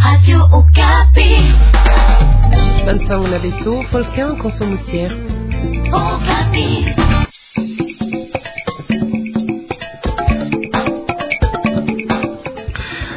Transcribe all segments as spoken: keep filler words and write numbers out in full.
Radio Okapi. Bansangu na beto, Volcan Konso Musier. Okapi.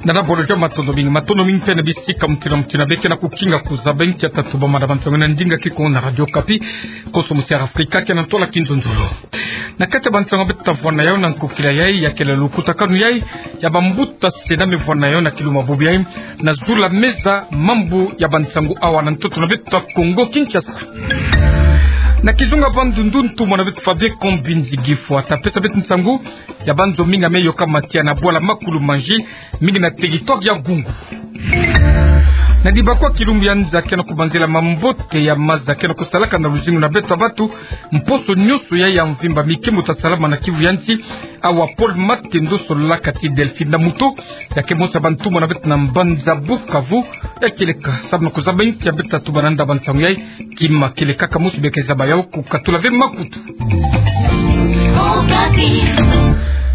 Nana bolo ja matondo mingi, matondo mingi mpe na bisika mutindu na mutindu beke na kukinga kuzaba nkia tatu bamana bansangu na ndinga kikongo na Radio Okapi, Konso Musier Afrika, ke na ntola kinzonzolo. Na kati ya bansangu beto ta vwanda yau na nkokila yai, ya kele lukutakanu yai ya bambuta Sénat me vwanda yau na kiluma bubu yai, na zula meza mambu ya bansangu awa na ntoto na beto ya Kongo Kinshasa. Na kizunga bandundu, ntumwa na beto Fabien Kombinzi Gifwa ta pesa beto nsangu ya banzo mingi me yoka matia na bwala Makulumanji, mingi na territoire ya Gungu. Na dibakwa kilumbu ya nza ke na kubanzila mambote ya maza ke na kusalaka na luzingu na beto ya bantu, mposo nyonso ya ya mvimba, mikembo ta salama na kivu ya nsi. Awa Paul Matendo sololaka ti Delphine na muto, ya ke mosi ya bantumwa na beto na mbanza Bukavu, ya kieleka samu na kuzaba nkia beto ta tuba na nda bansangu yai. Kima kieleka ka mosi beke zaba yau, kukatula ve makutu.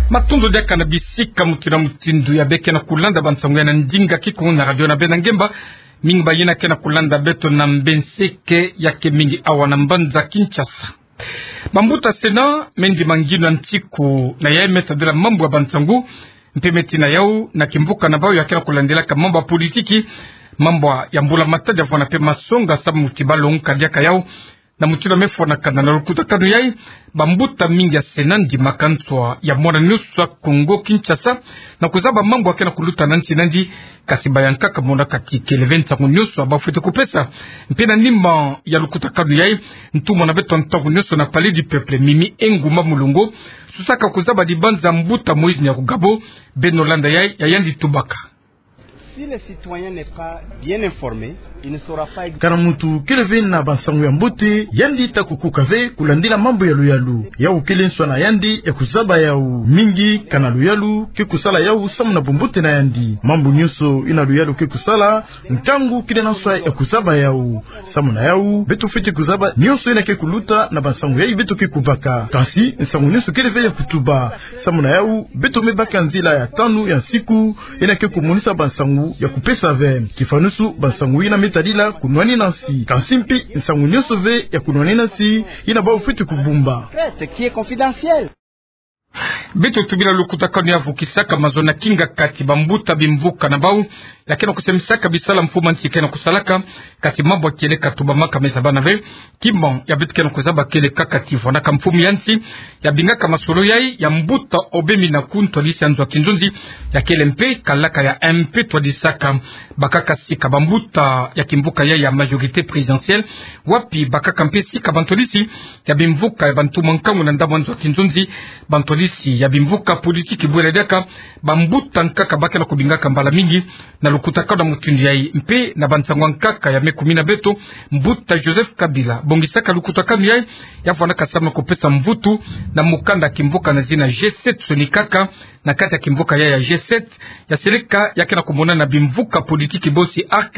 Matondo diaka na bisika mutindu na mutindu ya beke na kulanda bansangu yai na ndinga kikongo na radio na beno ngemba. Mingi bayina ke na kulanda beto na mbenseke ya ke mingi awa na mbanza Kinshasa. Bambuta Sénat me ndima nginu ya nsiku na yai me tadila mambu ya bansangu, mpe me tina yau na kimvuka na bau ya ke na kulandilaka mambu ya politiki, mambu ya mbula matadi ya vwanda mpe masonga samu ti balongoka diaka yau. Na mutindu me fwanakana na lukutakanu yai, bambuta mingi ya Sénat ndimaka nswa ya mwana nyonso ya Kongo Kinshasa na kuzaba mambu ya ke na kuluta na nsi nandi, kasi bayankaka mona ka kikele ve nsangu nyonso ya bafwete kupesa. Mpe na ndimba ya lukutakanu yai, ntumwa na beto ntangu nyonso na Palais du Peuple, Mimi Ngumba Mulongo, susaka kuzaba dibanza mbuta Moïse Nyarugabo. Beno landa yai, ya yandi tubaka. Si le citoyen n'est pas bien informé, il ne saura pas ex- Kana muntu kele ve na bansangu ya mbote, yandi ta kukuka ve kulandila mambu ya luyalu. Yau kele nswa na yandi ya kuzaba yau. Mingi kana luyalu ke kusala yau samu na bumbote na yandi. Mambu nyonso yina luyalu ke kusala, nkangu kele na nswa ya kuzaba yau. Samu na yau, beto fwete kuzaba nyonso yina ke kuluta na bansangu yai beto ke kubaka. Kansi nsangu nyonso kele ve ya kutuba. Samu na yau, beto me baka nzila ya tanu ya nsiku, yina ke kumonisa bansangu ya kupesa ve. Kifanusu, bansangu yina me tadila kunwanina nsi. Kansi mpe nsangu nyonso ve ya kunwanina nsi, yina bau fwete kubumba. Secret qui est confidentiel. Beto tubila lukutakanu ya vukisaka mazono na kinga kati bambuta bimvuka na bau, ya ke na kusemisaka bisala mfumu ya nsi ke na kusalaka, kasi mambu ya kieleka tubamaka me zabana ve. Kima ya beto ke na kuzaba kieleka kati vwandaka mfumu ya nsi, ya bingaka masolo yai ya mbuta Obemi na ku ntwadisi ya nzo ya kinzonzi, ya kele mpe kalaka ya M P twadisaka. Bakaka sika bambuta ya kimvuka yai ya majorité présidentielle, wapi bakaka mpe sika bantwadisi ya bimvuka ya bantu mwa nkangu na ndambu ya nzo ya kinzonzi, bantwadisi ya bimvuka politiki. Bwela diaka bambuta nkaka ba ke na kubingaka mbala mingi na lukutakanu ya mutindu yai, mpe na bansangu ya nkaka ya me kumina beto, mbuta Joseph Kabila bongisaka lukutakanu yai, ya vwandaka samu na kupesa mvutu na mukanda ya kimvuka na zina G sept. Sonikaka na kati ya kimvuka yai ya G sept, ya seleka ya ke na kumonana na bimvuka politiki bosi, ARC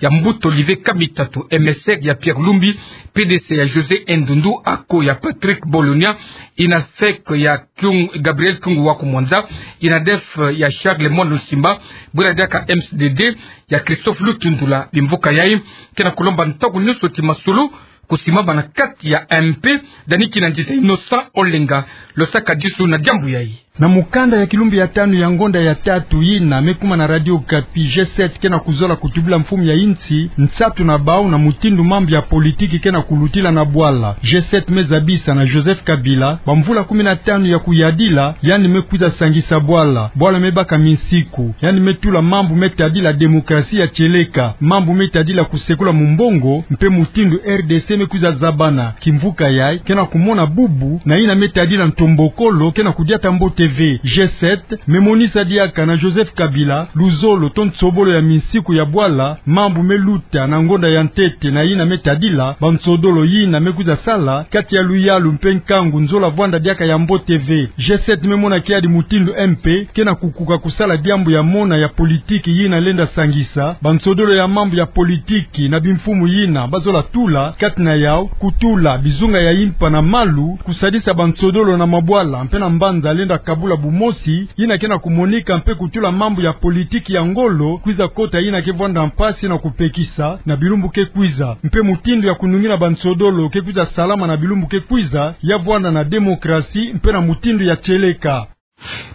ya mbuta Olivier Kamitatu, M S R ya Pierre Lumbi, P D C ya José Ndundu, ACO ya Patrick Bologna, INAFEC ya Kyung-, Gabriel Kyungu wa Kumwanza, INADEF ya Charles Mwandu Nsimba, bwela diaka M C D D ya Christophe Lutundula. Bimvuka yai ke na kulomba ntangu nyonso ti masolo kusimama na kati ya M P, dani kina nzita Innocent Olenga, losaka disu na diambu yai. Na mukanda ya kilumbu ya tanu ya ngonda ya tatu yina me kuma na Radio Okapi, G sept ke na kuzola kutubila mfumu ya insi nsatu na bau na mutindu mambu ya politiki ke na kulutila na bwala. G sept me zabisa na Joseph Kabila bamvula kumi na tanu ya kuyadila, yandi me kwiza sangisa bwala. Bwala me baka minsiku, yandi me tula mambu me tadila démocratie ya kieleka, mambu me tadila kusekula mumbongo, mpe mutindu R D C me kwiza zabana. Kimvuka yai ke na kumona bubu na yina me tadila ntombokolo ke na kudiata mbote ve. G sept me monisa diaka na Joseph Kabila luzolo to nsobolo ya minsiku ya bwala, mambu me luta na ngonda ya ntete na yina me tadila bansodolo yina me kwiza sala kati ya luyalu mpe nkangu, nzola vwanda diaka ya mbote ve. G sept me mona kiadi mutindu M P ke na kukuka kusala diambu ya mona ya politiki yina lenda sangisa bansodolo ya mambu ya politiki na bimfumu yina bazola tula, kati na yau kutula bizunga ya impa na malu, kusadisa bansodolo na mabwala mpe na mbanza lenda Kabula bumosi, yina ke na kumonika mpe kutula mambu ya politiki ya ngolo kwiza kota yina ke vwanda mpasi na kupekisa na bilumbu ke kwiza. Mpe mutindu ya kunungina bansodolo ke kwiza salama na bilumbu ke kwiza, ya vwanda na demokrasi mpe na mutindu ya tieleka.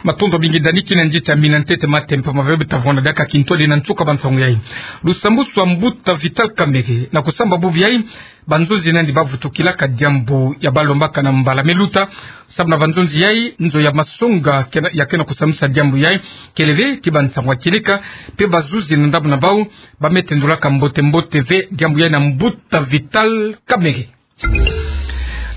Matondo mingi Dani, kina nzita mina ntete matempa maveve tavwanda diaka kintwadi na nsuka ba nsangu yayi. Lusambusu a mbuta Vital Kamerhe na kusamba bubu yayi, banzonzi nandi bavutukilaka diambu ya balombaka na mbala me luta, sabu na banzonzi yayi, nzo ya masonga kena, ya kena kusamisa diambu yayi, kele ve ti bansangu ya tieleka, mpe bazuzi na ndambu na bau, ba me tendulaka mbote-mbote ve diambu yayi na mbuta Vital Kamerhe.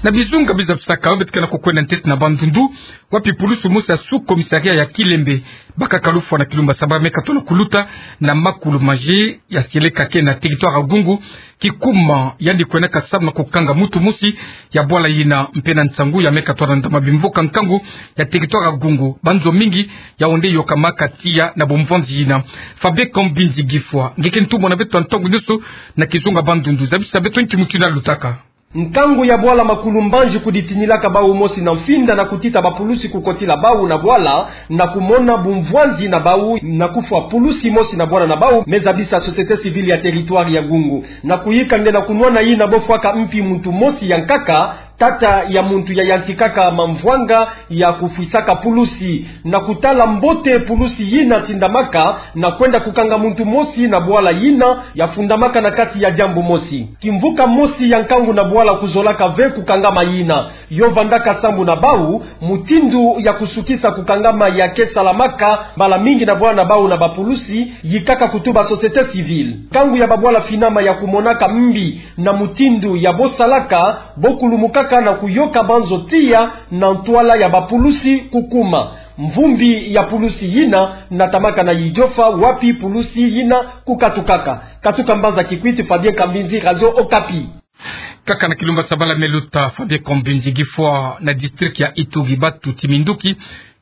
Na bizunga biza bisaka, beto ke na kukwenda ntete na Bandundu, wapi pulusu mosi ya sous-commissariat ya Kilembe, bakaka lufwa na kilumba saba me katono kuluta na makulu maji ya seleka ke na territoire ya Gungu, kikuma yandi kwendaka sabu na kukanga muntu mosi ya bwala yina, mpe na nsangu ya me katono ndama bimvuka nkangu ya territoire ya Gungu, banzo mingi ya onde yokamaka tiya na bumvwanzi yina. Fabien Kambinzi Gifwa, nge ke ntumwa na beto ya ntangu nyonso na kizunga Bandundu, zabisa beto nki mutindu yalutaka. Nkangu ya bwala makulu mbanji kuditinilaka bau mosi na mfinda na kutita bapulusi kukotila bau na bwala, na kumona bumvwanzi na bau na kufwa pulusi mosi na bwana na bau, me zabisa société civile ya territoire ya Gungu. Na kuyika nge na kunwana yina bofwaka mpi muntu mosi ya nkaka, tata ya muntu yayantikaka mamvwanga ya kufwisaka pulusi. Na kutala mbote pulusi yina tindamaka na kwenda kukanga muntu mosi na bwala yina yafundamaka na kati ya diambu mosi. Kimvuka mosi ya nkangu na bwala kuzolaka ve kukangama yina. Yo vandaka sambu na bau, mutindu ya kusukisa kukangama ya ke salamaka mbala mingi na bwana na bau na bapulusi, yikaka kutuba société civile. Nkangu ya babwala finama ya kumonaka mbi na mutindu ya bosalaka, bokulumukaka na kuyoka banzo tiya na ntwala ya bapulusi kukuma. Mvumbi ya pulusi yina natamaka na Idiofa, wapi pulusi yina kukatukaka. Katuka mbanza Kikwit, Fabien Kambinzi, Radio Okapi. Kaka na kilumba sabala me luta, Fabien Kambinzi Gifwa, na district ya Ituri, batu ti minduki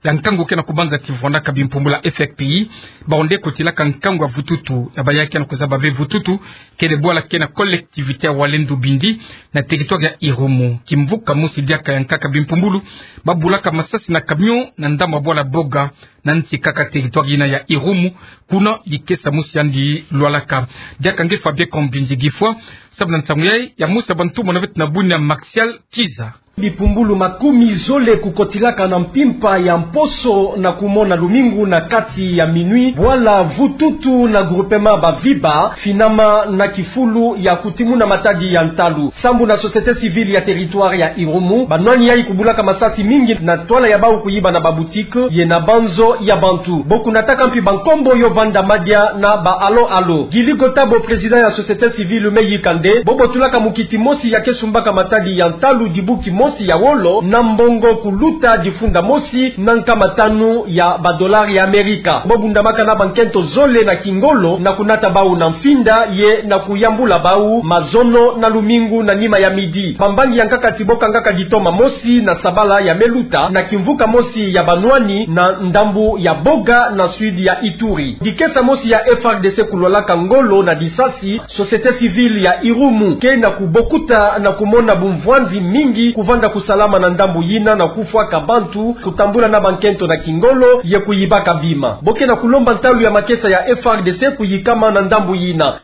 ya nkangu ke na kubanza ti vwandaka bimpumbulu ya F R P I, bau nde kotilaka nkangu ya vututu, na baya ke na kuzaba ve vututu, kele bwala ke na collectivité ya Walendu Bindi, na territoire ya Irumu. Kimvuka mosi diaka ya nkaka bimpumbulu, babulaka masasi na camion na ndambu ya bwala Boga, na nsi kaka territoire yina ya Irumu, kuna likesa mosi yandi lwalaka. Diaka nge Fabien Kambinzi Gifwa, sabu na nsangu yayi, ya mosi ya bantumwa na beto na bunia Martial Kiza. Bimpumbulu makumi zole kukotilaka na mpimpa ya mposo na kumona lumingu na kati ya minuit, bwala vututu na groupement Baviba, finama na kifulu ya kutimuna matadi ya ntalu. Sambu na société civile ya territoire ya Irumu, banwani yayi kubulaka masasi mingi na ntwala ya bau kuyiba na baboutique ye na banzo ya bantu. Bo kunataka mpi bankombo yo vanda madia na ba alo alo. Gili Gotabo, président ya société civile, me yika nde bo botulaka mukiti mosi ya ke sumbaka matadi ya ntalu dibu kimosi ya wolo na mbongo kuluta difunda mosi na nkama tanu ya ba dollars ya Amerika. Bo bundamaka na bankento zole na kingolo na kunata bau na mfinda ye na kuyambula bau mazono na lumingu na nima ya midi. Bambangi ya nkaka ti bo kangaka ditoma mosi na sabala ya me luta na kimvuka mosi ya banwani na ndambu ya Boga na sud ya Ituri. Dikesa mosi ya F R D C kulwalaka ngolo na disasi, société civile ya Irumu ke na kubokuta na kumona bumvwanzi mingi kuvanda kusalama na ndambu yina na kufwaka bantu, kutambula na bankento na kingolo ye kuyibaka bima. Bo ke na kulomba ntalu ya makesa ya F R D C kuyikama na ndambu yina.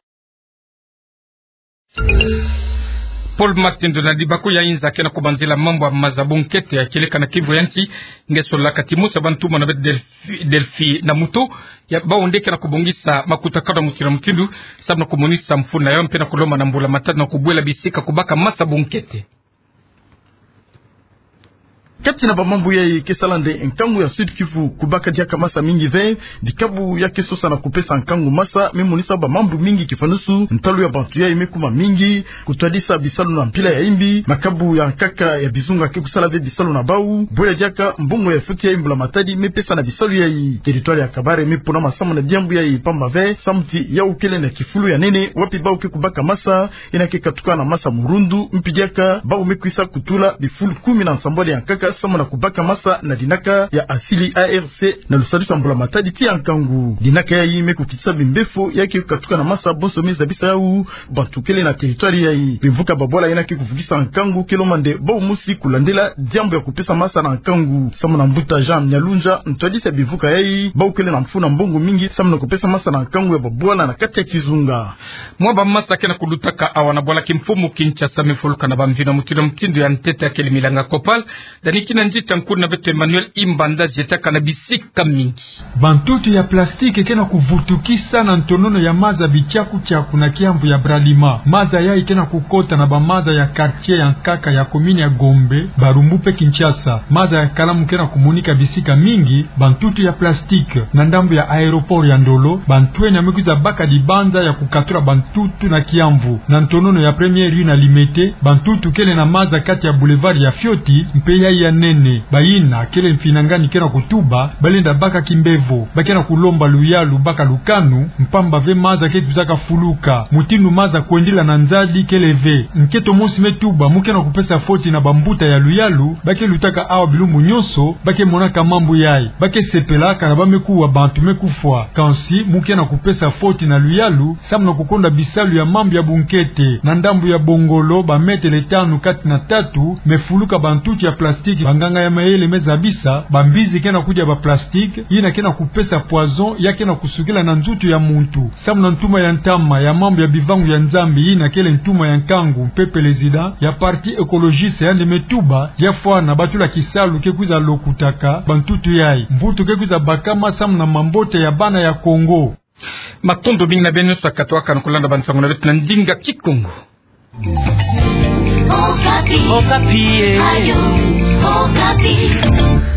Paul Martin Donald, baku ya inza ke na kubanzila mambu ya maza bunkete ya kieleka na Kivu ya nsi, nge solaka ti mosi ya bantumwa na beto Delphi, Delphi na mutu, ya bau nde ke na kubongisa makutakanu ya mutindu na mutindu, sabu na kumonisa mfunu na yo mpe na kulomba na mbula matadi na kubwela bisika kubaka masa bunkete. Kati na bamambu yayi ke sala nde nkangu ya Sud-Kivu kubaka diaka masa mingi ve, dikabu ya ke sosa na kupesa nkangu masa, me monisa bamambu mingi kifanusu, ntalu ya bantu yayi me kuma mingi, kutwadisa bisalu na mpila ya imbi, makabu ya nkaka ya bizunga ke kusala ve bisalu na bau, bwela diaka mbongo ya futi yayi mbula matadi me pesa na bisalu yayi. Territoire ya Kabare me pona masamu na diambu yayi pamba ve, samu ti yawu kele na kifulu ya nene, wapi bau ke kubaka masa, yina ke katuka na masa murundu, mpi diaka bau me kwisa kutula bifulu kumi na nsambwadi ya nkaka samu na kubaka masa na dinaka ya asili A R C na lusadusu ya mbula-matadi ti ya nkangu. Dinaka yayi me kukitisa bimbevo ya ke kukatuka na masa bonso me zabisa yawu bantu kele na territoire yayi. Bimvuka babwala yina ke kuvukisa nkangu kele mande bau mosi kulandela diambu ya kupesa masa na nkangu. Samu na mbuta Jean Nyalunja, ntwadisi ya bimvuka yayi, bau kele na mfu na mbongo mingi samu na kupesa masa na nkangu ya babwala na kati ya kizunga. Mwa bamasa ke na kulutaka awa na bwala kimfumu Kinshasa me fuluka na bamvino mutindu mutindu ya ntete ya kele milanga copal. Dani kina nzita nkulu na beto Emmanuel Imbanda, zietaka na bisika mingi. Bantutu ya plastique ke na kuvutukisa na ntonono ya maza Bitiaku-tiaku na kiamvu ya Bralima. Maza yayi ke na kukota na bamaza ya quartier ya nkaka ya commune ya Gombe, Barumbu pe Kinshasa. Maza ya kalamu ke na kumonika bisika mingi, bantutu ya plastique. Na ndambu ya aéroport ya Ndolo, bantwenya me kwiza baka dibanza ya kukatula bantutu na kiamvu. Na ntonono ya première rue na Limete, bantutu kele na maza kati ya boulevard ya fioti mpe yayi ya nene. Bayina kele mfinangani ke na kutuba balenda baka kimbevo, ba ke na kulomba luyalu baka lukanu, mpamba ve maza ke kwizaka fuluka. Mutindu maza kwendila na nzadi kele ve. Nkento mosi me tuba mu ke na kupesa foti na bambuta ya luyalu, ba ke lutaka awa bilumbu nyonso, ba ke monaka mambu yayi. Ba ke sepelaka na ba me kuwa bantu me kufwa. Kansi mu ke na kupesa foti na luyalu samu na kukonda bisalu ya mambu ya bunkete. Na ndambu ya Bongolo, ba mètre tanu kati na tatu me fuluka bantutu ya plastique. Banganga ya mayele me zabisa, bambizi ke na kudia ba plastique, yina ke na kupesa poison, ya ke na kusukila na nzutu ya muntu. Samu na ntuma ya ntama ya mambu ya bivangu ya Nzambi, yina kele ntuma ya nkangu mpe président ya Parti Écologiste, yandi me tuba, ya fwana ba tula kisalu ke kwiza lokutaka bantutu yayi. Mvutu ke kwiza bakama samu na mambote ya bana ya Kongo. Matondo mingi na beno nyonso ya katwaka na kulanda bansangu na beto na ndinga Kikongo. Okapi. Okapi, eh. Ayo, Okapi.